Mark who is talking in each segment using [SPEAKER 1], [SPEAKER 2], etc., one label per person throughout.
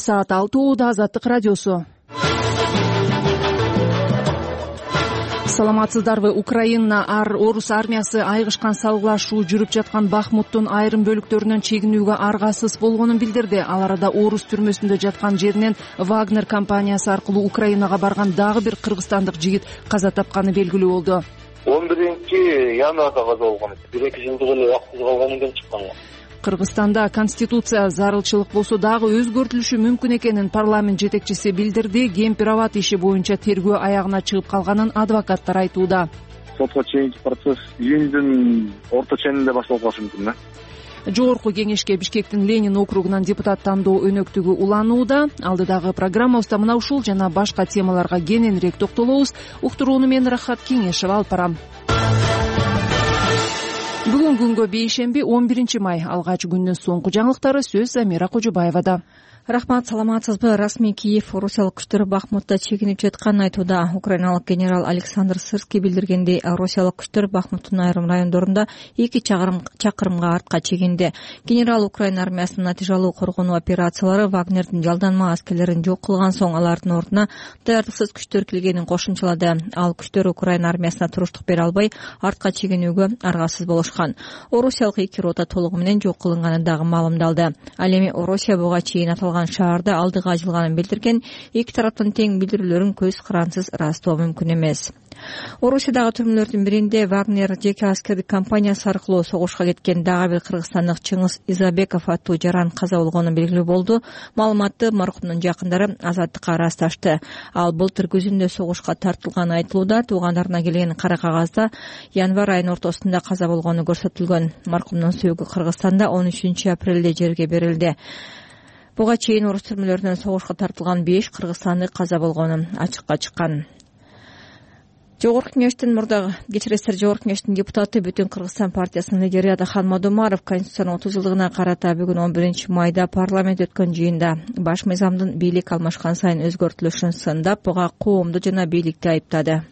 [SPEAKER 1] саат 6:00 Азаттык радиосу. Саламатсыздарбы? Украина орус армиясы айгышкан салгылашуу жүрүп жаткан Бахмуттун айрым бөлүктөрүнөн чегинүүгө аргасыз болгонун билдирди. Ал арада орус түрмөсүндө жаткан жеринен Вагнер компаниясы аркылуу Украинага барган дагы бир кыргызстандык жигит каза тапканы белгилүү болду.
[SPEAKER 2] 11-январда каза болгон. 1-2 жылдык эле убактысыз калгандан кийин чыккан.
[SPEAKER 1] Кыргызстанда конституция зарылчылык болсо дагы өзгөртүлүшү мүмкүн экенин парламент жетекчиси билдирди. Кемпир-Абад иши боюнча тергөө аягына чыгып калганын адвокаттар айтууда.
[SPEAKER 2] Сотко чейинки процесс июндун орто ченинде башталып калышы мүмкүн да.
[SPEAKER 1] Жогорку кеңешке Бишкектин Ленин округунан депутат тандоо өнөктүгү уланууда. Алдыдагы программабызда мына ушул жана башка темаларга кененирээк токтолобуз. Уктурууну мен Рахат Кеңешева алып барам. Бүгүн күнгө бейшемби 11 май. Алгач күндүн соңку жаңылыктары сөз Замира Кожобаевада.
[SPEAKER 3] Рахмат, саламатсызбы? Расмий Киев орусиялык күчтөр Бахмутта чегинип жатканын айтууда. Украиналык генерал Александр Сырский билдиргендей, орусиялык күчтөр Бахмуттун айрым райондорунда 2 чакырымга артка чегинди. Генерал Украина армиясынын натыйжалуу коргонуу операциялары Вагнердин жалданма аскерлерин жок кылган соң алардын ордуна даярдыксыз күчтөр келгенин кошумчалады. Ал күчтөр Украина армиясына туруштук бере албай, артка чегинүүгө аргасыз болушкан. Орусиялык 2 рота толугу менен жок кылынганы дагы маалымдалды. Ал эми Орусия буга чейин шаарда алдыга жылганын билдирген. Эки тараптын тең билдирүүлөрүн көз карансыз ырастоо мүмкүн эмес. Орусиядагы түрмөлөрдүн биринде Вагнер жеке аскердик компаниясы аркылуу согушка кеткен дагы бир кыргызстандык Чыңгыз Изабеков аттуу жаран каза болгону белгилүү болду. Маалыматты маркумдун жакындары Азаттыкка ырасташты. Ал былтыр күзүндө согушка тартылганы айтылууда. Туугандарына келген кара кагазда январь айынын ортосунда каза болгону көрсөтүлгөн. Маркумдун сөөгү Кыргызстанда 13 апрелде жерге берилди. Буга чейин орус түрмөлөрүнөн согушка тартылган 5 кыргызстандык каза болгону ачыкка чыккан. Жогорку кеңештин депутаты Бүтүн Кыргызстан партиясынын лидери Адахан Мадумаров Конституциянын 30 жылдыгына карата бүгүн 11 майда парламент өткөн жыйында баш мыйзамдын бийлик алмашкан сайын өзгөртүлүшүн сындап, буга коомду жана бийликти айыптады.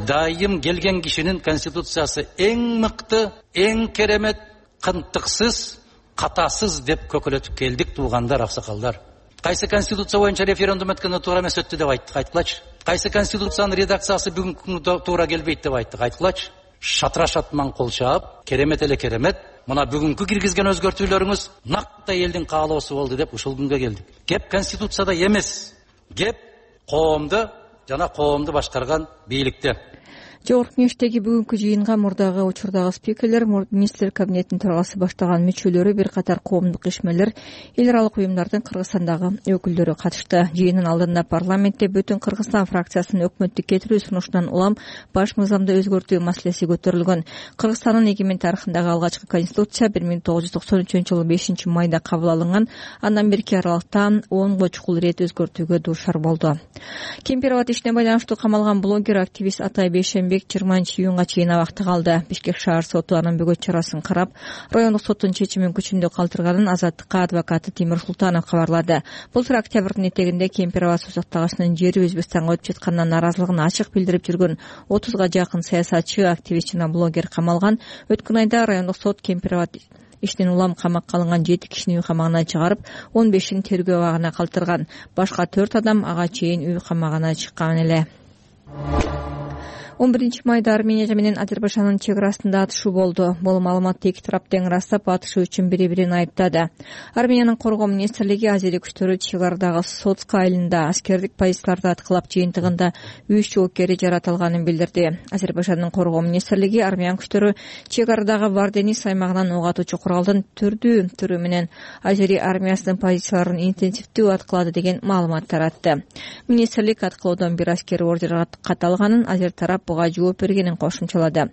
[SPEAKER 4] Дайым келген кишинин конституциясы эң мыкты, эң керемет, кынтыксыз, катасыз деп көкөлөтүп келдик туугандар, аксакалдар. Кайсы конституция боюнча референдум өткөндө туура эмес өттү деп айттык, айткылачы. Кайсы конституциянын редакциясы бүгүнкү күндө туура келбейт деп айттык, айткылачы. Шатырашатман кол чаап, керемет эле керемет. Мына бүгүнкү киргизген өзгөртүүлөрүңүз накта элдин каалоосу болду деп ушул күнгө келдик. Кеп конституцияда эмес, кеп коомду жана коомду башкарган бийликте.
[SPEAKER 3] Жогорку кеңештеги бүгүнкү жыйынга мурдагы учурдагы спикерлер, министрлер кабинетинин төрагасы баштаган мүчөлөрү, бир катар коомдук ишмерлер, эл аралык уюмдардын Кыргызстандагы өкүлдөрү катышты. Жыйындын алдында парламентте Бүтүн Кыргызстан фракциясынын өкмөттү кетирүү сунушунан улам баш мыйзамды өзгөртүү маселеси көтөрүлгөн. Кыргызстандын эгемен тарыхындагы алгачкы конституция 1993-жылы 5 майда кабыл алынган. Андан берки аралыкта 10 чукул ирет өзгөртүүгө дуушар болду. Кемпир-Абад ишине байланыштуу камалган блогер, активист Атай Бейшембек 20-июнга чейин абакта калды. Бишкек шаар соту анын бөгөт чарасын карап, райондук соттун чечимин күчүндө калтырганын Азаттыкка адвокаты Тимир Султанов кабарлады. Былтыр октябрдын этегинде Кемпир-Абад созактагычынын жери Өзбекстанга өтүп жатканына нааразылыгын ачык билдирип жүргөн 30га жакын саясатчы, активист жана блогер камалган. Өткөн айда райондук сот Кемпир-Абад иштен улам камакка алынган 7 кишини үй камагына чыгарып, 15-ин тергөө абагына калтырган. Башка 4 адам ага чейин үй камагына чыккан эле. 11 майда Армения менен Азербайжандын чек арасында атышуу болду. Бул маалыматты эки тарап тең ырастап, атышуу үчүн бири-бирин айыптады. Армениянын коргоо министрлиги азери күчтөрү чек арадагы Соцк айылында аскердик позицияларды аткылап жыйынтыгында 3 жоопкери жаратылганын билдирди. Азербайжандын коргоо министрлиги армян күчтөрү чек арадагы Варденис аймагынан ок атуучу куралдын түрдүү түрү менен азери армиясынын позицияларын интенсивдүү аткылады деген маалымат таратты. Министрлик аткылоодон бир аскери ордер каталганын, азер тарап буга жооп бергенин кошумчалады.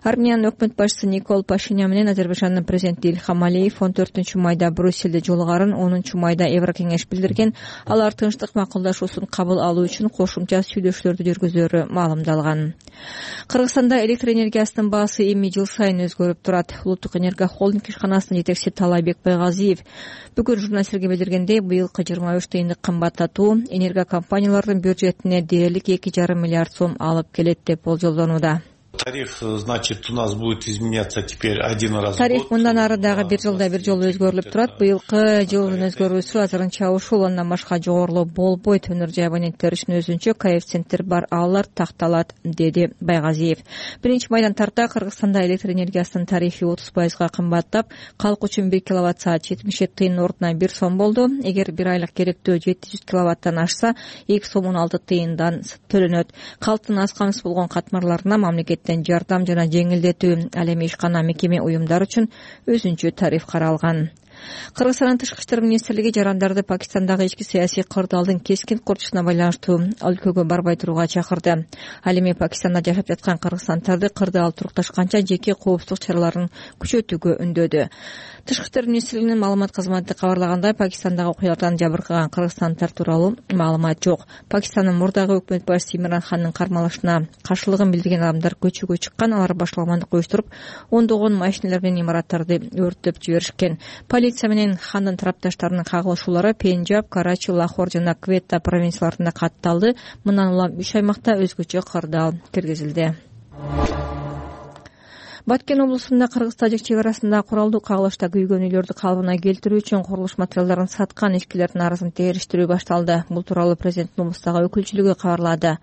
[SPEAKER 3] Армениянын өкмөт башчысы Никол Пашинян менен Азербайжандын президенти Ильхам Алиев 14 майда Брюссельде жолугарын, 10 майда Еврокеңеш билдирген. Алар тынчтык макулдашуусун кабыл алуу үчүн кошумча сүйлөшүүлөрдү жүргүзөрү маалымдалган. Кыргызстанда электр энергиясынын баасы эми жыл сайын өзгөрүп турат. Улуттук энерго холдинг ишканасынын жетекчиси Талайбек Байгазиев бүгүн журналисттерге билдиргендей, быйылкы 23 тыйындык кымбаттатуу энерго компаниялардын бюджетине дээрлик 2,5 миллиард сом алып келет деп болжолдонууда.
[SPEAKER 5] Тариф, значит, у нас будет изменяться теперь один раз в год.
[SPEAKER 3] Тариф мындан ары дагы бир жылда бир жолу өзгөрүлүп турат. Быйылкы жылдын өзгөрүүсү азырынча ушул, андан башка жогорулуу болбойт. Өнөр жай абоненттер үчүн өзүнчө коэффициенттер бар, алар такталат, деди Байгазиев. Биринчи майдан тарта Кыргызстанда электр энергиясынын тарифи 30% кымбаттап, калк үчүн 1 киловатт-саат 77 тыйын ордуна 1 сом болду. Эгер бир айлык керектөө 700 киловаттан ашса, 2 сом 16 тыйындан төлөнөт. Калктын аз камсыз болгон катмарларына мамлекеттен жардам жана жеңилдетүү, ал эми ишкана мекеме уюмдар үчүн өзүнчө тариф каралган. Кыргызстандын тышкы иштер министрлиги жарандарды Пакистандагы ички саясий кырдаалдын кескин курчусуна байланыштуу өлкөгө барбай турууга чакырды. Ал эми Пакистанда жашап жаткан кыргызстандарды кырдаал турукташканча жеке коопсуздук чараларын күчөтүүгө үндөдү. Тышкы иштер министрлигинин маалымат кызматы кабарлагандай, Пакистандагы окуялардан жабыркаган кыргызстанддар тууралуу маалымат жок. Пакистандын мурдагы өкмөт башчысы Имран Хандын кармалышына каршылыгын билдирген адамдар көчөгө чыккан. Алар башаламандык уюштуруп, ондогон машиналар менен имараттарды өрттөп жиберишкен. Полиция менен Хандын тарапташтарынын кагылышуулары Пенджаб, Карачи, Лахор жана Кветта провинцияларында катталды. Мындан улам 3 аймакта өзгөчө кырдаал киргизилди. Баткен облусунда Кыргыз-Тажик чек арасында куралдуу кагылышта күйгөн үйлөрдү калыбына келтирүү үчүн курулуш материалдарын саткан ишкерлердин арасын териштирүү башталды. Бул тууралуу президенттин облустагы өкүлчүлүгү кабарлады.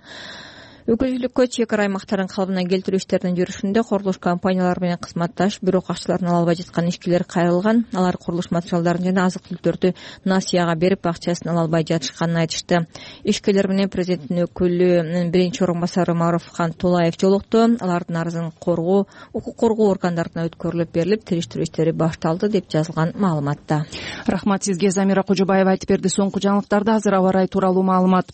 [SPEAKER 3] Өкүлчүлүккө чек ара аймактарын калыбына келтирүү иштеринин жүрүшүндө курулуш компаниялары менен кызматташ, бирок акчаларын ала албай жаткан ишкерлер кайрылган. Алар курулуш материалдарын жана азык-түлүктөрдү насыяга берип, акчасын ала албай жатышканын айтышты. Ишкерлер менен президенттин өкүлүнүн биринчи орун басары Маруфхан Тулаев жолукту. Алардын арызын укук коргоо органдарына өткөрүлүп берилип, териштирүү иштери башталды деп жазылган маалыматта.
[SPEAKER 1] Рахмат сизге, Замира Кожобаева айтып берди. Соңку жаңылыктарда азыр аба ырайы тууралуу маалымат.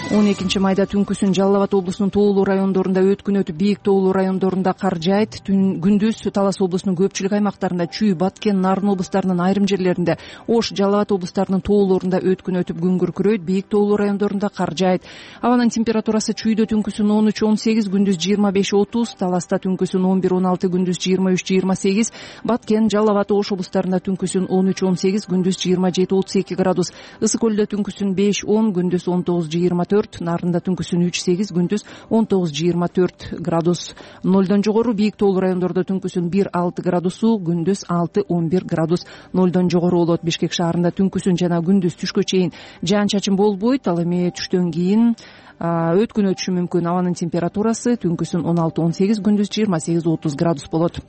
[SPEAKER 1] 12 майда түнкүсүн Жалал Абад облусунун тоолуу райондорунда өткүн өтүп, бийик тоолуу райондорунда кар жаайт. Күндүз Талас облусунун көпчүлүк аймактарында, Чүй, Баткен, Нарын облустарынын айрым жерлеринде, Ош, Жалал Абад облустарынын тоолорунда өткүн өтүп, күн күркүрөйт. Бийик тоолуу райондорунда кар жаайт. Абанын температурасы Чүйдө түнкүсүн 13-18, күндүз 25-30, Таласта түнкүсүн 11-16, күндүз 23-28, Баткен, Жалал Абад, Ош облустарында түнкүсүн 13-18, күндүз 27-32 градус, Ысык көлдө түнкүсүн 5-10, күндүз 19-24, Нарында түнкүсүн 3-8, күндүз 19-24 градус. 0дон жогору бийик тоолуу райондордо түнкүсүн 1-6 градусу, күндүз 6-11 градус. 0дон жогору болот. Бишкек шаарында түнкүсүн жана күндүз түшкө чейин жаан-чачын болбойт. Ал эми түштөн кийин өткүн өтүшү мүмкүн. Абанын температурасы түнкүсүн 16-18, күндүз 28-30 градус болот.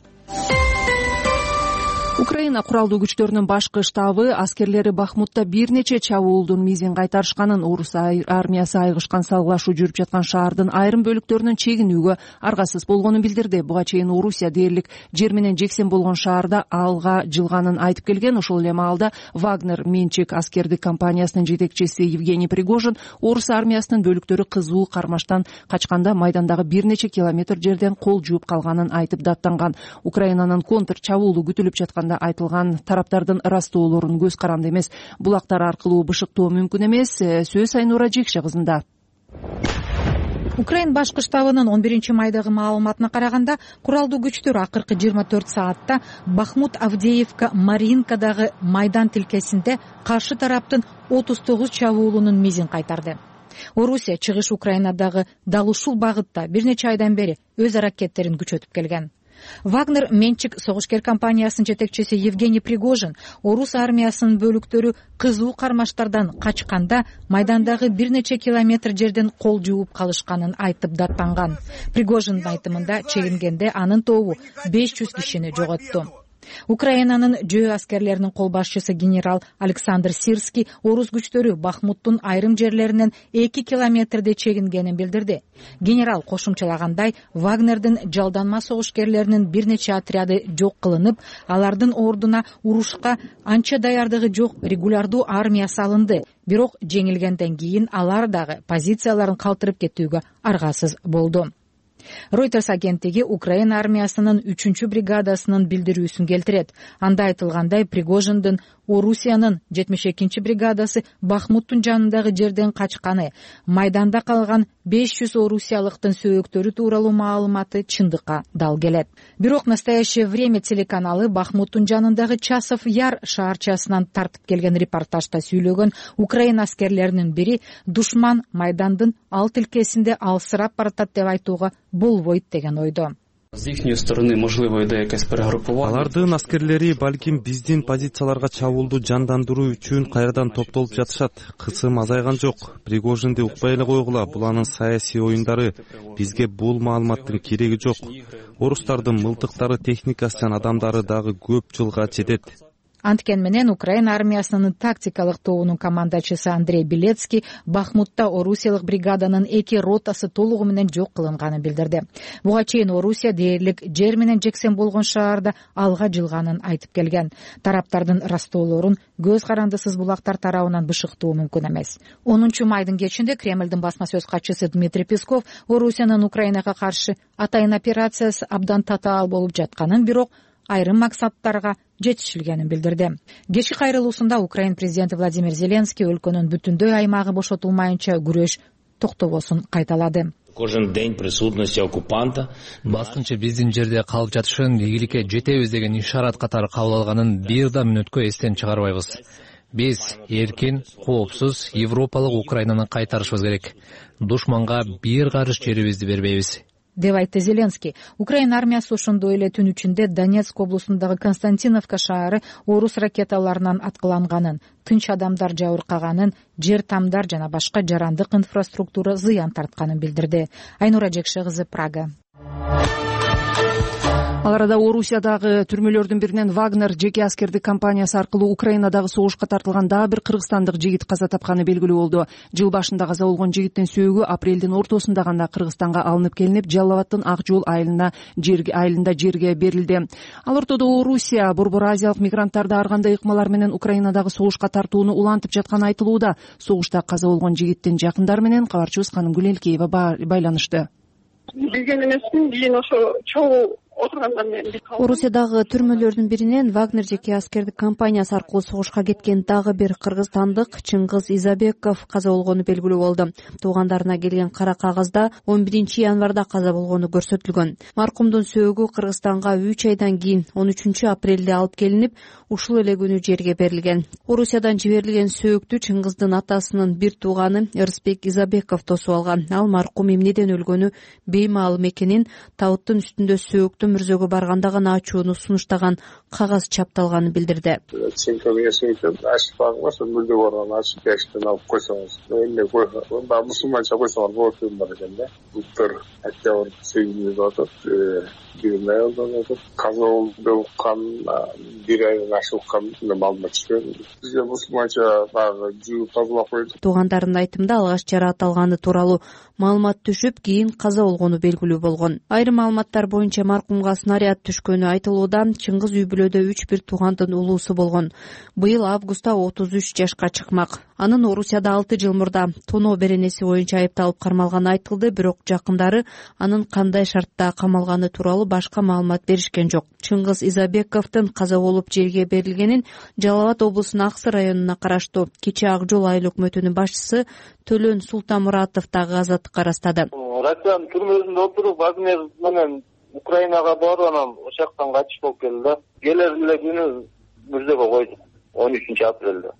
[SPEAKER 1] Украина куралдуу күчтөрүнүн башкы штабы аскерлери Бахмутта бир нече чабуулдун мизин кайтарышканын, орус армиясы айгышкан салгылашуу жүрүп жаткан шаардын айрым бөлүктөрүнөн чегинүүгө аргасыз болгонун билдирди. Буга чейин Орусия дээрлик жер менен жексен болгон шаарда алга жылганын айтып келген. Ошол эле маалда Вагнер менчик аскердик компаниясынын жетекчиси Евгений Пригожин орус армиясынын бөлүктөрү кызуу кармаштан качканда майдандагы бир нече километр жерден кол жууп калганын айтып даттанган. Украинанын контр чабуулу күтүлүп жаткан айтылган тараптардын ырастоолорун көз каранды эмес, булактар аркылуу бышыктоо мүмкүн эмес. Сөз Айнура Жекше кызында.
[SPEAKER 6] Украин башкы штабынын 11 майдагы маалыматына караганда, куралдуу күчтөр акыркы 24 саатта Бахмут, Авдеевка, Маринкадагы майдан тилкесинде каршы тараптын 39 чабуулунун мизин кайтарды. Орусия чыгыш Украинадагы дал ушул багытта бир нече айдан бери өз аракеттерин күчөтүп келген. Вагнер менчик согушкер компаниясынын жетекчиси Евгений Пригожин орус армиясынын бөлүктөрү кызуу кармаштардан качканда майдандагы бир нече километр жерден кол жууп калышканын айтып даттанган. Пригожиндин айтымында чегингенде анын тобу 500 кишини жоготту. Украинанын жөө аскерлеринин кол башчысы генерал Александр Сирский орус күчтөрү Бахмуттун айрым жерлеринен 2 километрде чегингенин билдирди. Генерал кошумчалагандай, Вагнердин жалданма согушкерлеринин бир нече отряды жок кылынып, алардын ордуна урушка анча даярдыгы жок регулярдуу армия салынды. Бирок жеңилгенден кийин алар дагы позицияларын калтырып кетүүгө аргасыз болду. Reuters агенттиги Украина армиясынын 3-бригадасынын билдирүүсүн келтирет. Анда айтылгандай, Пригожиндин Орусиянын 72 бригадасы Бахмуттун жанындагы жерден качканы, майданда калган 500 орусиялыктын сөөктөрү тууралуу маалыматы чындыкка дал келет. Бирок «Настоящее время» телеканалы Бахмуттун жанындагы Часов Яр шаарчасынан тартып келген репортажда сүйлөгөн Украина аскерлеринин бири душман майдандын ал тилкесинде алсырап баратат деп айтууга болбойт деген ойдо.
[SPEAKER 7] З їхньої сторони, можливо, йде якесь перегрупування.
[SPEAKER 8] Алардын аскерлери балким биздин позицияларга чабуулду жандандыруу үчүн кайрадан топтолуп жатышат. Кысым азайган жок. Пригожинди укпай эле койгула. Бул анын саясий оюндары. Бизге бул маалыматтын кереги жок. Орустардын мылтыктары, техникасы жана адамдары дагы көп жылга жетет.
[SPEAKER 6] Анткен менен Украина армиясынын тактикалык тобунун командачысы Андрей Белецкий Бахмутта орусиялык бригаданын 2 ротасы толугу менен жок кылынганын билдирди. Буга чейин Орусия дээрлик жер менен жексен болгон шаарда алга жылганын айтып келген. Тараптардын растоолорун көз карандысыз булактар тарабынан бышыктоо мүмкүн эмес. 10 майдын кечинде Кремлдин басма сөз катчысы Дмитрий Песков Орусиянын Украинага каршы атайын операциясы абдан татаал болуп жатканын, бирок айрым максаттарга жетишилгенин билдирди. Кечки кайрылуусунда Украин президенти Владимир Зеленский өлкөнүн бүтүндөй аймагы бошотулмайынча күрөш токтобосун кайталады.
[SPEAKER 9] Кожен день присутности оккупанта
[SPEAKER 10] баскынчы биздин жерде калып жатышын ийгиликке жетебиз деген ишарат катары кабыл алганын бир да мүнөткө эстен чыгарбайбыз. Биз эркин, коопсуз Европалык Украинаны кайтарышыбыз керек. Душманга бир карыш жерибизди бербейбиз
[SPEAKER 6] деп айтты Зеленский. Украина армиясы ошондой эле түн ичинде Донецк облусундагы Константиновка шаары орус ракеталарынан аткыланганын, тынч адамдар жабыркаганын, жер тамдар жана башка жарандык инфраструктура зыян тартканын билдирди. Айнура Жекше кызы, Прага.
[SPEAKER 1] Ал арада Орусиядагы түрмөлөрдүн биринен Вагнер жеке аскердик компаниясы аркылуу Украинадагы согушка тартылган дагы бир кыргызстандык жигит каза тапканы белгилүү болду. Жыл башында каза болгон жигиттин сөөгү апрелдин ортосунда гана Кыргызстанга алынып келинип, Жалал-Абадтын Ак жол айылында жерге берилди. Ал ортодо Орусия Борбор Азиялык мигранттарды ар кандай ыкмалар менен Украинадагы согушка тартууну улантып жатканы айтылууда. Согушта каза болгон жигиттин жакындары менен кабарчыбыз Каным Гүлелкеева байланышты.
[SPEAKER 11] Билген эмесмин, кийин ошо чогуу отургандан кийин
[SPEAKER 12] Орусиядагы түрмөлөрдүн биринен Вагнер жеке аскердик компаниясы аркылуу согушка кеткен дагы бир кыргызстандык Чыңгыз Изабеков каза болгону белгилүү болду. Туугандарына келген кара кагазда 11 январда каза болгону көрсөтүлгөн. Маркумдун сөөгү Кыргызстанга 3 айдан кийин 13 апрелде алып келинип, ушул эле күнү жерге берилген. Орусиядан жиберилген сөөктү Чыңгыздын атасынын бир тууганы Эрсбек Изабеков тосуп алган. Ал маркум эмнеден өлгөнү беймаалым экенин, табыттын үстүндө сөөктү мүрзөгө барганда гана ачууну сунуштаган кагаз чапталганын билдирди.
[SPEAKER 2] Мүрзө барган ачып кештен алып койсоңуз, эмне койсоңуз, мусулманча койсоңуз болот деген бар экен да. Былтыр октябрь 8-нде атат, бир айылдан атат. Каза болгон бир айдан ашылган маалымат түшкөн. Бизге мусулманча дагы жууп тазалап койду.
[SPEAKER 12] Туугандарынын айтымында алгач жараат алганы тууралуу маалымат түшүп, кийин каза болгону белгилүү болгон. Айрым маалыматтар боюнча маркумга снаряд түшкөнү айтылууда. Чыңгыз үй бүлөдө 3 туугандын улуусу болгон. Быйыл августта 33 жашка чыкмак. Анын Орусияда 6 жыл мурда тоноо беренеси боюнча айыпталып кармалганы айтылды, бирок жакындары анын кандай шартта камалганы тууралуу башка маалымат беришкен жок. Чыңгыз Изабековдун каза болуп жерге берилгенин Жалал-Абад облусунун Аксы районуна караштуу Кичи Ак жол айыл өкмөтүнүн башчысы Төлөн Султанмуратов дагы азаттыкка ырастады.
[SPEAKER 2] Россиянын түрмөсүндө отуруп Вагнер менен Украинага барып, анан ошол жактан качып болуп келди. Келер эле күнү мүрзөгө койду, 13 апрелде.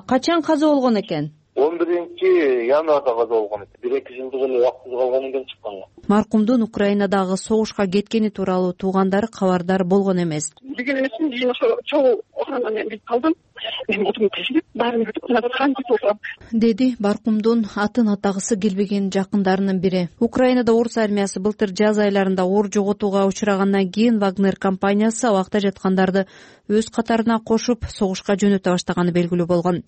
[SPEAKER 12] Качан каза болгон экен?
[SPEAKER 2] 11 январда каза болгон экен. 1-2 жылдык эле убактысыз калгандан кийин чыккан.
[SPEAKER 12] Маркумдун Украинадагы согушка кеткени тууралуу туугандары кабардар болгон эмес.
[SPEAKER 11] Билген эмесмин, кийин ошо чогуу отургандан кийин билип калдым. Мен отурдум тешип, баарын бүтүп
[SPEAKER 12] деди Маркумдун атын атагысы келбеген жакындарынын бири. Украинада орус армиясы былтыр жаз айларында оор жоготууга учурагандан кийин Вагнер компаниясы абакта жаткандарды өз катарына кошуп согушка жөнөтө баштаганы белгилүү болгон.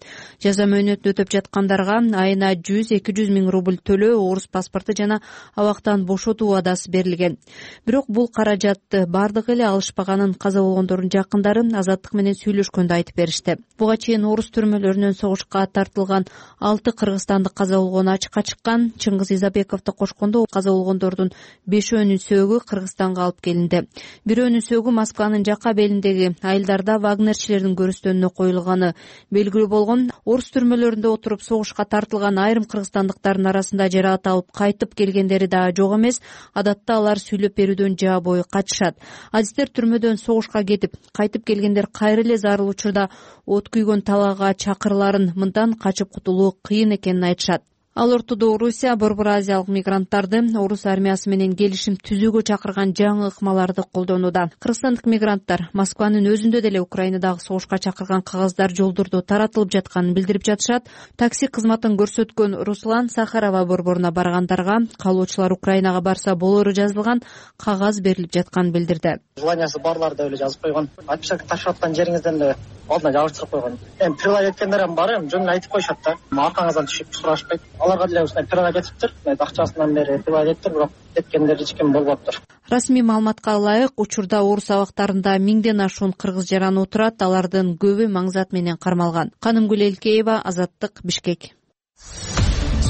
[SPEAKER 12] Жаза мөөнөтүн өтөп жаткандарга айына 100-200 миң рубль төлөө, орус паспорту жана абактан бошотуу убадасы берилген. Бирок бул каражатты бардыгы эле алышпаганын каза болгондордун жакындары азаттык менен сүйлөшкөндө айтып беришти. Буга чейин орус түрмөлөрүнөн согушка тартылган 6 кыргызстандык каза болгону ачыкка чыккан. Чыңгыз Изабековду кошкондо каза болгондордун 5өөнүн сөөгү Кыргызстанга алып келинди. Бирөөнүн сөөгү Москванын жакка белиндеги айылдарда вагнерчилердин көрүстөнүнө коюлганы белгилүү болгон. Орус түрмөлөрүндө отуруп согушка тартылган айрым кыргызстандыктардын арасында жараат алып кайтып келгендери да жок эмес. Адатта алар сүйлөп берүүдөн жаа бою качышат. Адистер түрмөдөн согушка кетип кайтып келгендер кайра эле зарыл учурда от күйгөн талаага чакырыларын, мындан качып кутулуу кыйын экенин айтышат. Ал ортодо Орусия Борбор Азиялык мигранттарды орус армиясы менен келишим түзүүгө чакырган жаңы ыкмаларды колдонууда. Кыргызстандык мигранттар Москванын өзүндө деле Украинадагы согушка чакырган кагаздар жолдордо таратылып жатканын билдирип жатышат. Такси кызматын көрсөткөн Руслан Сахарова борборуна баргандарга калоочулар Украинага барса болору жазылган кагаз берилип жатканын билдирди.
[SPEAKER 13] Желаниясы барлар деп эле жазып койгон. Отпечаток ташып аткан жериңизден эле алдына жабыртып койгон. Прилай эткендер бар, жөн эле айтып коюшат да. Аркаңыздан түшүп сурашпайт. Аларга деле ушундай прилай кетиптир. Акчасынан бери прилай кеттир, бирок кеткендер эч ким болбоптур.
[SPEAKER 12] Расмий маалыматка ылайык, учурда орус абактарында 1000ден ашуун кыргыз жараны отурат. Алардын көбү маңзат менен кармалган. Канымгүл Элкеева, Азаттык, Бишкек.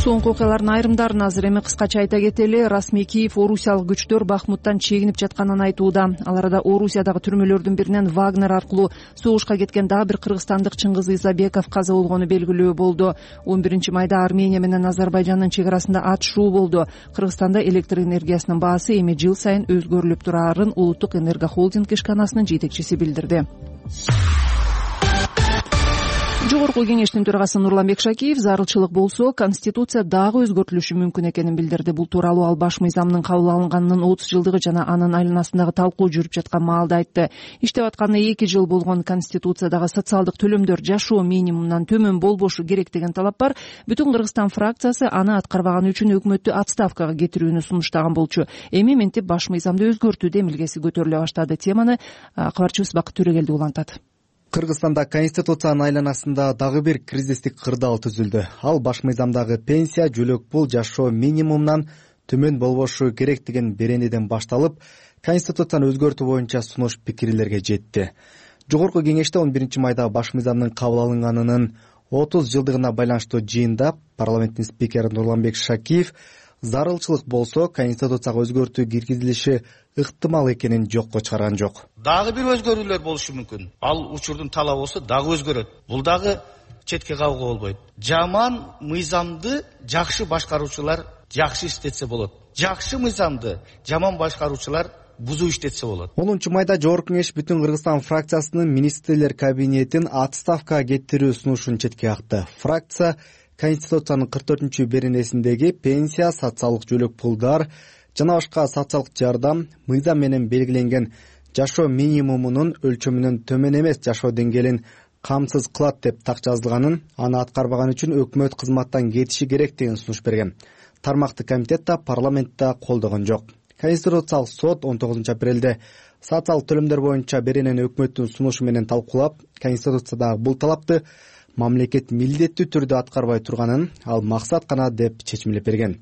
[SPEAKER 1] Соңку окуялардын айрымдарын азыр эми кыскача айта кетели. Расмий Киев орусиялык күчтөр Бахмуттан чегинип жатканын айтууда. Ал арада Орусиядагы түрмөлөрдүн биринен Вагнер аркылуу согушка кеткен дагы бир кыргызстандык Чыңгыз Изабеков каза болгону белгилүү болду. 11-майда Армения менен Азербайжандын чек арасында атышуу болду. Кыргызстанда электр энергиясынын баасы эми жыл сайын өзгөрүлүп турарын Улуттук энергохолдинг ишканасынын жетекчиси билдирди. Жогорку кеңештин төрагасы Нурланбек Шакиев зарылчылык болсо, Конституция дагы өзгөртүлүшү мүмкүн экенин билдирди. Бул тууралуу ал баш мыйзамдын кабыл алынганынын 30 жылдыгы жана анын айланасындагы талкуу жүрүп жаткан маалда айтты. Иштеп атканына 2 жыл болгон Конституциядагы социалдык төлөмдөр жашоо минимумунан төмөн болбошу керек деген талап бар. Бүтүн Кыргызстан фракциясы аны аткарбаганы үчүн өкмөттү отставкага кетирүүнү сунуштаган болчу. Эми мынтип баш мыйзамды өзгөртүү демилгеси көтөрүлө баштады. Теманы кабарчыбыз Бакыт Төрөгелди улантат.
[SPEAKER 14] Кыргызстанда Конституциянын айланасында дагы бир кризистик кырдаал түзүлдү. Ал баш мыйзамдагы пенсия, жөлөк пул жашоо минимумунан төмөн болбошу керек деген беренеден башталып, Конституцияны өзгөртүү боюнча сунуш пикирлерге жетти. Жогорку кеңеште 11-майда баш мыйзамдын кабыл алынганынын 30 жылдыгына байланыштуу жыйында парламенттин спикери Нурланбек Шакиев зарылчылык болсо, Конституцияга өзгөртүү киргизилиши ыктымал экенин жокко чыгарган жок.
[SPEAKER 15] Дагы бир өзгөрүүлөр болушу мүмкүн. Ал учурдун талабы болсо дагы өзгөрөт. Бул дагы четке кагууга болбойт. Жаман мыйзамды жакшы башкаруучулар жакшы иштетсе болот. Жакшы мыйзамды жаман башкаруучулар бузуу иштетсе болот.
[SPEAKER 14] 10-майда Жогорку кеңеш бүтүн Кыргызстан фракциясынын министрлер кабинетин отставкага кетирүү сунушун четке какты. Фракция Конституциянын 44-беренесиндеги пенсия, социалдык жөлөк пулдар жана башка социалдык жардам мыйзам менен белгиленген жашоо минимумунун өлчөмүнөн төмөн эмес жашоо деңгээлин камсыз кылат деп так жазылганын, аны аткарбаган үчүн өкмөт кызматтан кетиши керек деген сунуш берген. Тармактык комитет да парламентте колдогон жок. Конституциялык сот 19 апрелде социалдык төлөмдөр боюнча беренени өкмөттүн сунушу менен талкуулап, Конституциядагы бул талапты мамлекет милдеттүү түрдө аткарбай турганын, ал максат гана деп чечимлеп берген.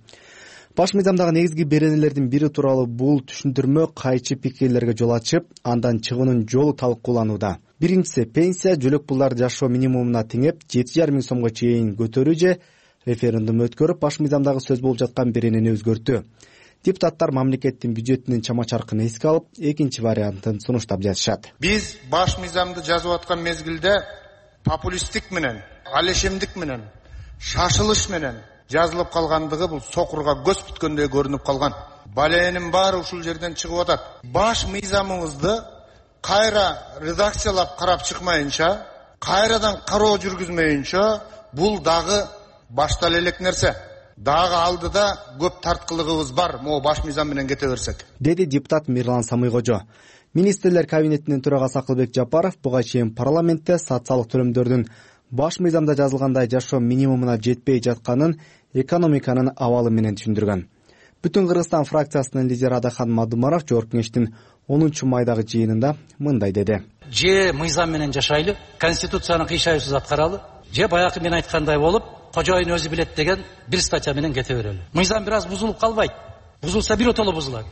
[SPEAKER 14] Баш мыйзамдагы негизги беренелердин бири тууралуу бул түшүндүрмө кайчы пикирлерге жол ачып, андан чыгуунун жолу талкууланууда. Биринчиси, пенсия, жөлөк пулдар жашоо минимумуна теңеп 7,5 миң сомго чейин көтөрүү же референдум өткөрүп, баш мыйзамдагы сөз болуп жаткан беренени өзгөртүү. Депутаттар мамлекеттин бюджетинин чама-чаркын эске алып, экинчи вариантын сунуштап жатышат.
[SPEAKER 15] Биз баш мыйзамды жазып аткан мезгилде популисттик менен, алешемдик менен, шашылыш менен жазылып калгандыгы бул сокурга көз бүткөндөй көрүнүп калган. Баленин баары ушул жерден чыгып атат. Баш мыйзамыбызды кайра редакциялап карап чыкмайынча, кайрадан кароо жүргүзмөйүнчө бул дагы баштала элек нерсе. Дагы алдыда көп тарткылыгыбыз бар, могу баш мыйзам менен кете берсек,
[SPEAKER 14] деди депутат Мирлан Самыйкожо. Министрлер кабинетинин төрагасы Акылбек Жапаров буга чейин парламентте социалдык төлөмдөрдүн баш мыйзамда жазылгандай жашоо минимумуна жетпей жатканын экономиканын абалы менен түшүндүргөн. Бүтүн Кыргызстан фракциясынын лидери Адахан Мадумаров Жогорку кеңештин 10-майдагы жыйынында мындай деди.
[SPEAKER 4] Же мыйзам менен жашайлы, Конституцияны кыйшайсыз аткаралы, же баягы мен айткандай болуп, кожоюн өзү билет деген бир статья менен кете берели. Мыйзам бир аз бузулуп калбайт. бузулса биротоло бузулат.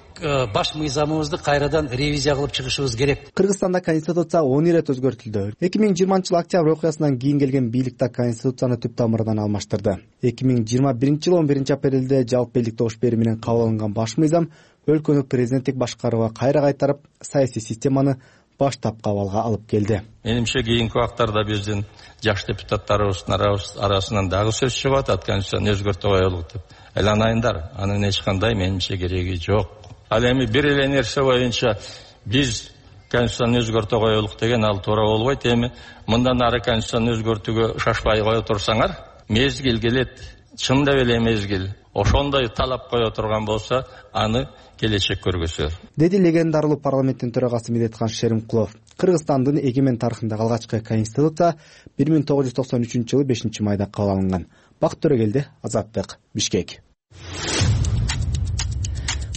[SPEAKER 4] Баш мыйзамыбызды кайрадан ревизия кылып чыгышыбыз керек.
[SPEAKER 14] Кыргызстанда конституция 10 ирет өзгөртүлдү. 2020 октябрь окуясынан кийин келген бийлик да конституцияны түп тамырынан алмаштырды. 2021 11 апрелде жалпы элдик добуш берүү менен кабыл алынган баш мыйзам өлкөнү президенттик башкарууга кайра кайтарып, саясий системаны баштапкы абалга алып келди.
[SPEAKER 16] Менимче кийинки убактарда биздин жаш депутаттарыбыздын арасынан дагы сөз чыгып атат, конституцияны өзгөртүп коелук деп. Айланайындар, анын эч кандай менимче кереги жок. Ал эми бир эле нерсе боюнча биз конституцияны өзгөртө коелук деген ал туура болбойт. Эми мындан ары конституцияны өзгөртүүгө шашпай кое турсаңар, мезгил келет, чындап эле мезгил ошондой талап кое турган болсо, аны келечек көргөзөр,
[SPEAKER 14] деди легендарылуу парламенттин төрагасы Медетхан Шеримкулов. Кыргызстандын эгемен тарыхындагы алгачкы конституция 1993 жылы 5 майда кабыл алынган. Бакыт Төрөгелди, Азаттык, Бишкек.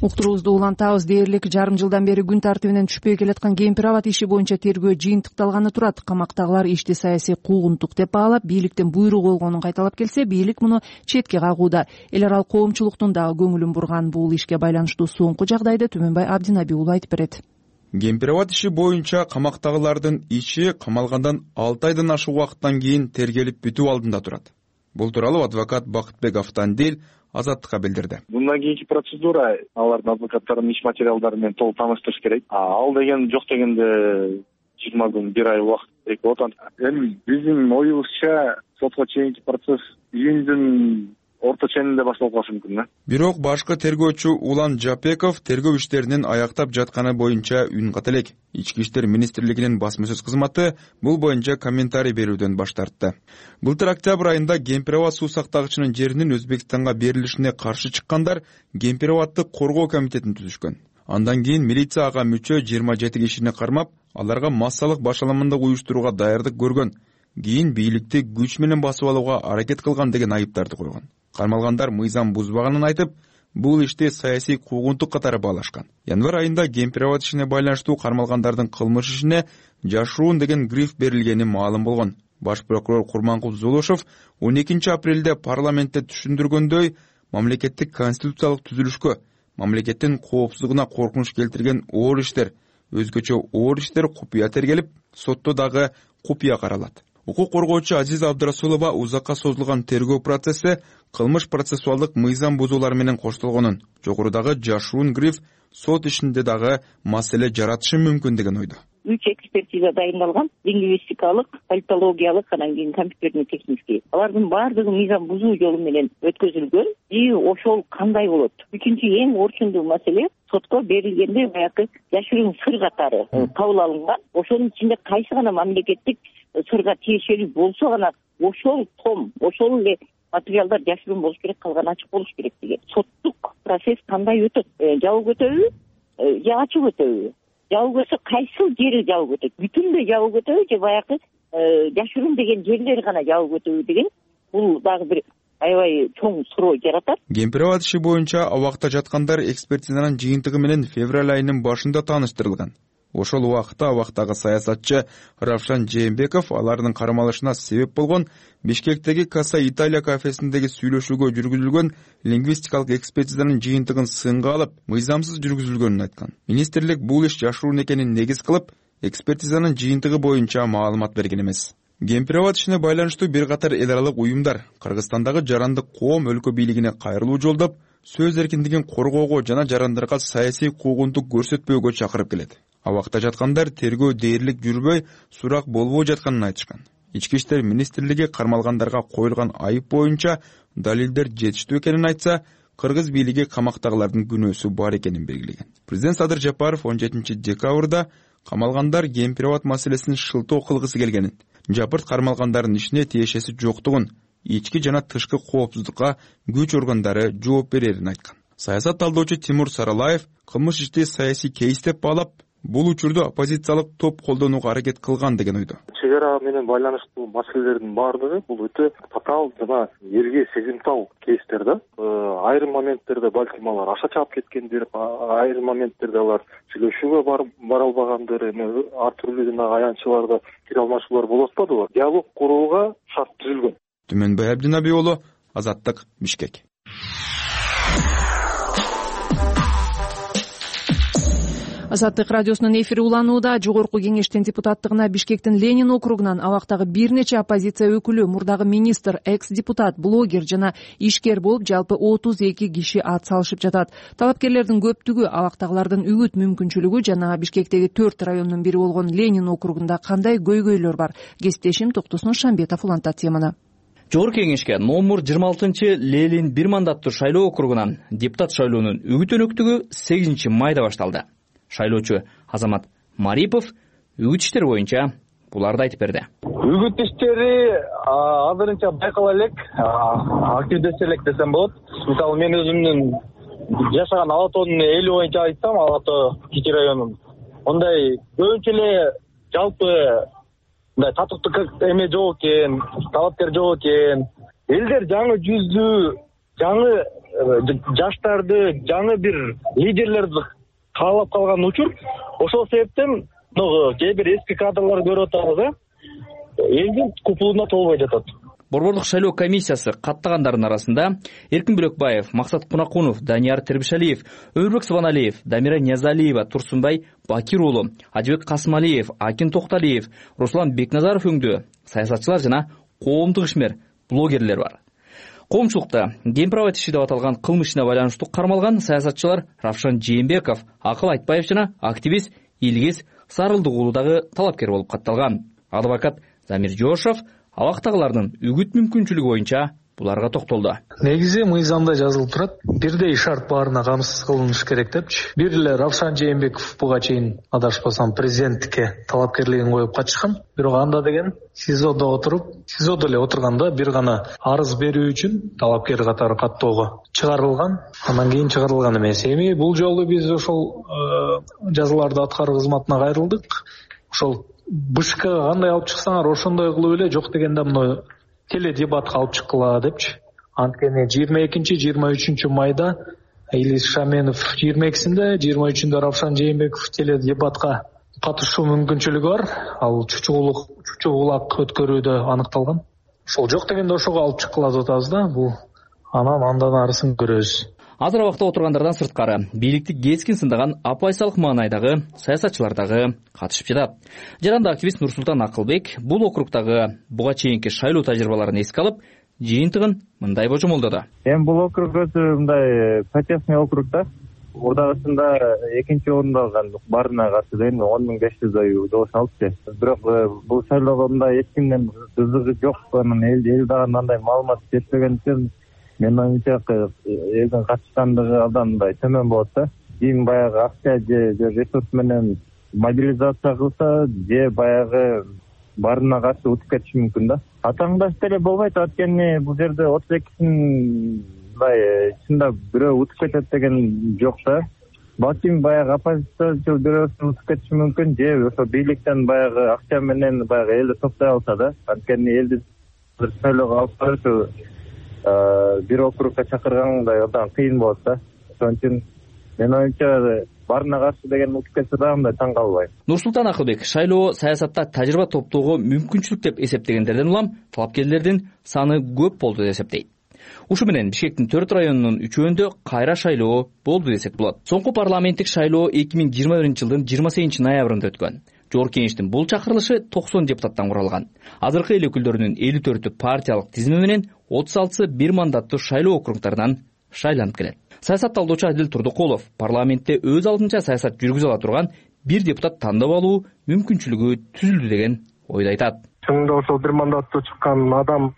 [SPEAKER 1] Уктуруубузду улантабыз. Дээрлик жарым жылдан бери күн тартибинен түшпөй келаткан кемпир абад иши боюнча тергөө жыйынтыкталганы турат. Камактагылар ишти саясий куугунтук деп баалап, бийликтен буйрук болгонун кайталап келсе, бийлик муну четке кагууда. Эл аралык коомчулуктун дагы көңүлүн бурган. Бул ишке байланыштуу соңку жагдайды Түмөнбай Абдинаби уулу айтып берет.
[SPEAKER 17] Кемпир абад иши боюнча камактагылардын иши камалгандан 6 айдан ашык убакыттан кийин тергелип бүтүү алдында турат. Бул тууралуу адвокат Бакытбек Автандил Азаттыкка билдирди.
[SPEAKER 18] Мындан кийинки процедура алардын адвокаттарынын иш материалдары менен толук тааныштырыш керек. Ал деген жок дегенде 20 күн, 1 ай убакыт керек болот. Эми биздин оюбузча сотко чейинки процесс июндүн орто ченинде башталып калышы мүмкүн да.
[SPEAKER 17] Бирок башкы тергөөчү Улан Жапеков тергөө иштеринин аяктап жатканы боюнча үн ката элек. Ички иштер министрлигинин басма-сөз кызматы бул боюнча комментарий берүүдөн баш тартты. Былтыр октябрь айында кемпир абад суу сактагычынын жеринин Өзбекстанга берилишине каршы чыккандар кемпир абадты коргоо комитетин түзүшкөн. Андан кийин милиция ага мүчө 27 кишини кармап, аларга массалык башаламандык уюштурууга даярдык көргөн. Кийин бийликти күч менен басып алууга аракет кылган деген айыптарды койгон. Кармалгандар мыйзам бузбаганын айтып, бул ишти саясий куугунтук катары баалашкан. Январь айында кемпир абад ишине байланыштуу кармалгандардын кылмыш ишине жашыруун деген гриф берилгени маалым болгон. Баш прокурор Курманкул Зулушев 12 апрелде парламентте түшүндүргөндөй, мамлекеттик конституциялык түзүлүшкө, мамлекеттин коопсуздугуна коркунуч келтирген оор иштер, өзгөчө оор иштер купуя тергелип, сотто дагы купуя каралат. Укук коргоочу Азиза Абдрасулова узакка созулган тергөө процесси кылмыш процессуалдык мыйзам бузуулар менен коштолгонун, жогорудагы жашыруун гриф сот ишинде дагы маселе жаратышы мүмкүн деген ойдо.
[SPEAKER 19] 3 экспертиза дайындалган, лингвистикалык, политологиялык, анан кийин компьютерный технический. Алардын баардыгы мыйзам бузуу жолу менен өткөзүлгөн. Ошол кандай болот? Үчүнчү эң орчундуу маселе сотко берилгенде баягы жашыруун сыр катары кабыл алынган. Ошонун ичинде кайсы гана мамлекеттик сырга тиешелүү болсо гана ошол ошол эле материалдар жашыруун болуш керек, калган ачык болуш керек деген. Соттук процесс кандай өтөт? Жабык өтөбү? Же ачык өтөбү? Жабык өтсө кайсыл жери жабык өтөт? Бүтүндөй жабык өтөбү же баягы жашыруун деген жерлери гана жабык өтөбү деген бул дагы бир аябай чоң суроо жаратат.
[SPEAKER 17] Кемпир абад иши боюнча абакта жаткандар экспертизанын жыйынтыгы менен февраль айынын башында тааныштырылган. Ошол убакытта абактагы саясатчы Равшан Жээнбеков алардын кармалышына себеп болгон Бишкектеги Каса Италия кафесиндеги сүйлөшүүгө жүргүзүлгөн лингвистикалык экспертизанын жыйынтыгын сынга алып, мыйзамсыз жүргүзүлгөнүн айткан. Министрлик бул иш жашыруун экенин негиз кылып, экспертизанын жыйынтыгы боюнча маалымат берген эмес. Кемпир абад ишине байланыштуу бир катар эл аралык уюмдар Кыргызстандагы жарандык коом өлкө бийлигине кайрылуу жолдоп, сөз эркиндигин коргоого жана жарандарга саясий куугунтук көрсөтпөөгө чакырып келет. Абакта жаткандар тергөө дээрлик жүрбөй, сурак болбой жатканын айтышкан. Ички иштер министрлиги кармалгандарга коюлган айып боюнча далилдер жетиштүү экенин айтса, кыргыз бийлиги камактагылардын күнөөсү бар экенин белгилеген. Президент Садыр Жапаров 17 декабрда камалгандар кемпир абад маселесин шылтоо кылгысы келгенин, Жапырт кармалгандардын ишине тиешеси жоктугун, ички жана тышкы коопсуздукка күч органдары жооп берерин айткан. Саясат талдоочу Тимур Саралаев кылмыш ишти саясий кейс деп баалап, бул учурду оппозициялык топ колдонууга аракет кылган деген ойдо.
[SPEAKER 18] Чек ара менен байланыштуу маселелердин баардыгы бул өтө татаал жана элге сезимтал кейстер да. Айрым моменттерде балким алар аша чаап кеткендир, айрым моменттерде алар сүйлөшүүгө бара албагандыр, ар түрлүү жана аянтчыларда кире алмашуулар болуп атпадыбы? Диалог курууга шарт түзүлгөн.
[SPEAKER 17] Түмөнбай Абдинаби уулу, Азаттык, Бишкек.
[SPEAKER 1] Азаттык радиосунун эфири уланууда. Жогорку кеңештин депутаттыгына Бишкектин Ленин округунан абактагы бир нече оппозиция өкүлү, мурдагы министр, экс-депутат, блогер жана ишкер болуп, жалпы 32 киши ат салышып жатат. Талапкерлердин көптүгү абактагылардын үгүт мүмкүнчүлүгү жана Бишкектеги 4 райондун бири болгон Ленин округунда кандай көйгөйлөр бар? Кесиптешим Токтосун Шамбетов улантат теманы.
[SPEAKER 20] Жогорку кеңешке номер 26 Ленин 1 мандаттуу шайлоо округунан депутат шайлоонун үгүт өнөктүгү 8 майда башталды. Шайлоочу Азамат Марипов үгүт иштери боюнча буларды айтып берди.
[SPEAKER 21] Үгүт иштери азырынча байкала элек, активдесе элек десем болот. Мисалы мен өзүмдүн жашаган Ала тоонун эли боюнча айтсам, Ала тоо кичи районун. Ондай көбүнчө эле жалпы мындай татыктуу эме жок экен, талапкер жок экен. Элдер жаңы жүздүү, жаңы жаштарды, жаңы бир лидерлерди каалап калган учур. Ошол себептен кээ бир эски кадрлар көрүп атабыз, элдин купулуна толбой жатат.
[SPEAKER 20] Борбордук шайлоо комиссиясы каттагандардын арасында Эркин Бөлөкбаев, Максат Кунакунов, Данияр Тербишалиев, Өмүрбек Сыбаналиев, Дамира Ниязалиева, Турсунбай Бакир уулу, Ажыбек Касымалиев, Акин Токталиев, Руслан Бекназаров өңдүү саясатчылар жана коомдук ишмер, блогерлер бар. Коомчулукта кемпир иши деп аталган кылмыш ишине байланыштуу кармалган саясатчылар Равшан Жээнбеков, Акыл Айтбаев жана активист Илгиз Сарылдык уулу дагы талапкер болуп катталган. Адвокат Замир Жошов абактагылардын үгүт мүмкүнчүлүгү боюнча буларга токтолду.
[SPEAKER 22] Негизи мыйзамда жазылып турат, бирдей шарт баарына камсыз кылыныш керек депчи. Бир эле Равшан Жээнбеков буга чейин адашпасам президенттикке талапкерлигин коюп качкан. Бирок анда деген СИЗОдо эле отурганда бир гана арыз берүү үчүн талапкер катары каттоого чыгарылган. Андан кийин чыгарылган эмес. Эми бул жолу биз ошол жазаларды аткаруу кызматына кайрылдык. Ошол БШКга кандай алып чыксаңар ошондой кылып эле, жок дегенде мына теледебатка алып чыккыла депчи. Анткени 22-23 майда Илис Шаменов 22-синде, 23-үндө Равшан Жээнбеков теледебатка катышуу мүмкүнчүлүгү бар. Ал чучугулак өткөрүүдө аныкталган. Ошол жок дегенде ошого алып чыккыла деп атабыз да. Бул андан арысын көрөбүз.
[SPEAKER 20] Азыр абакта отургандардан сырткары бийликти кескин сындаган апайсалык маанайдагы саясатчылар дагы катышып жатат. Жаранды активист Нурсултан Акылбек бул округдагы буга чейинки шайлоо тажрыйбаларын эске алып, жыйынтыгын мындай божомолдоду.
[SPEAKER 23] Эми бул округ өзү мындай протестный округ да. Урдагысында экинчи орунду алган, баарына каршы деген 10.500 добуш алыпты. Бирок бул шайлоого мындай эч кимдин кызыгы жок, анан эл дагы мындай маалымат жетпеген үчүн мен оюмча элдин катышкандыгы абдан мындай төмөн болот да. Кийин баягы акча же ресурс менен мобилизация кылса, же баягы баарына каршы утуп кетиши мүмкүн да. Атаңдаш деле болбойт, анткени бул жерде 32-син мындай чында бирөө утуп кетет деген жок да. Балким баягы оппозициячыл бирөөсү утуп кетиши мүмкүн, же ошо бийликтен баягы акча менен баягы элди топтой алса да. Анткени элди шайлоого алып барып бир округка чакыргандай абдан кыйын болот да. Ошон үчүн мен оюмча баарына каршы деген утуп кетсе да мындай таң калбайм.
[SPEAKER 20] Нурсултан Акылбек шайлоо саясатта тажрыйба топтоого мүмкүнчүлүк деп эсептегендерден улам талапкерлердин саны көп болду деп эсептейт. Ушу менен Бишкектин 4 районунун 3-өндө кайра шайлоо болду десек болот. Соңку парламенттик шайлоо 2021-жылдын 28 ноябрында өткөн. Жогорку кеңештин бул чакырылышы 90 депутаттан куралган. Азыркы эл өкүлдөрүнүн 54-ü партиялык тизими менен 36 бир мандаттуу шайлоо округдарынан шайланып келет. Саясат талдоочу Адил Турдукулов парламентте өз алдынча саясат жүргүзө ала турган бир депутат тандап алуу мүмкүнчүлүгү түзүлдү деген ойду айтат.
[SPEAKER 21] Чынында ошол бир мандаттуу чыккан адам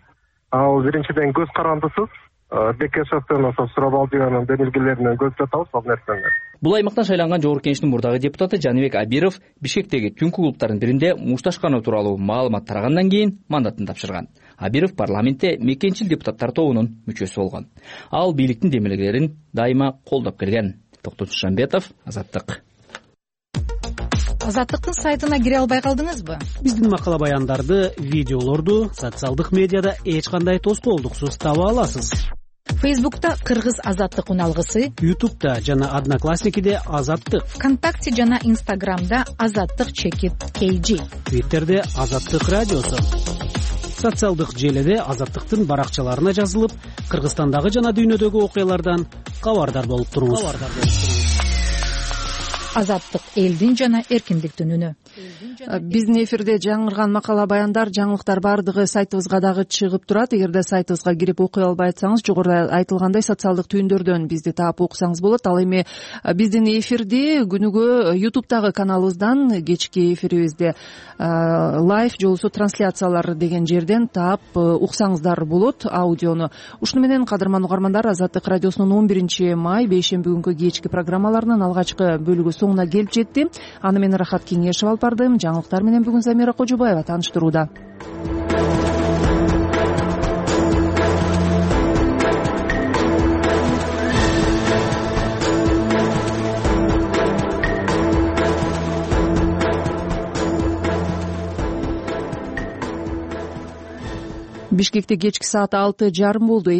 [SPEAKER 21] ал биринчиден көз карандысыз, Бекешевден ошо Сурабалдиянын демилгелеринен көз жатабыз ал нерсени.
[SPEAKER 20] Бул аймактан шайланган жогорку кеңештин мурдагы депутаты Жаныбек Абиров Бишкектеги түнкү клубтардын биринде мушташкануу тууралуу маалымат тарагандан кийин мандатын тапшырган. Абиров парламентте мекенчил депутаттар тобунун мүчөсү болгон. Ал бийликтин демилгелерин дайыма колдоп келген. Токтосун Шамбетов, Азаттык.
[SPEAKER 6] Азаттыктын сайтына кире албай калдыңызбы?
[SPEAKER 24] Биздин макала баяндарды, видеолорду социалдык медиада эч кандай тоскоолдуксуз таба аласыз.
[SPEAKER 6] Фейсбукта Кыргыз Азаттык уналгысы,
[SPEAKER 24] Ютубта жана Одноклассникиде Азаттык,
[SPEAKER 6] ВКонтакте жана Инстаграмда Азаттык _KG,
[SPEAKER 24] Твиттерде Азаттык радиосу. Социалдык желеде Азаттыктын баракчаларына жазылып, Кыргызстандагы жана дүйнөдөгү окуялардан кабардар болуп туруңуз.
[SPEAKER 6] Азаттык — элдин жана эркиндиктин үнү.
[SPEAKER 1] Биздин эфирде жаңырган макала баяндар, жаңылыктар баардыгы сайтыбызга дагы чыгып турат. Эгерде сайтыбызга кирип окуй албай атсаңыз, жогоруда айтылгандай социалдык түйүндөрдөн бизди таап окусаңыз болот. Ал эми биздин эфирди күнүгө YouTube'дагы каналыбыздан, кечки эфирибизде лайв же болбосо трансляциялар деген жерден таап уксаңыздар болот аудиону. Ушуну менен кадырман угармандар, Азаттык радиосунун 11 май бейшемби күнкү кечки программаларынын алгачкы бөлүгү соңуна келип жетти. Аны менен Рахат Кеңешев алып бардым. Жаңылыктар менен бүгүн Замира Кожобаева тааныштырууда. Бишкекте кечки саат 6:30 болду.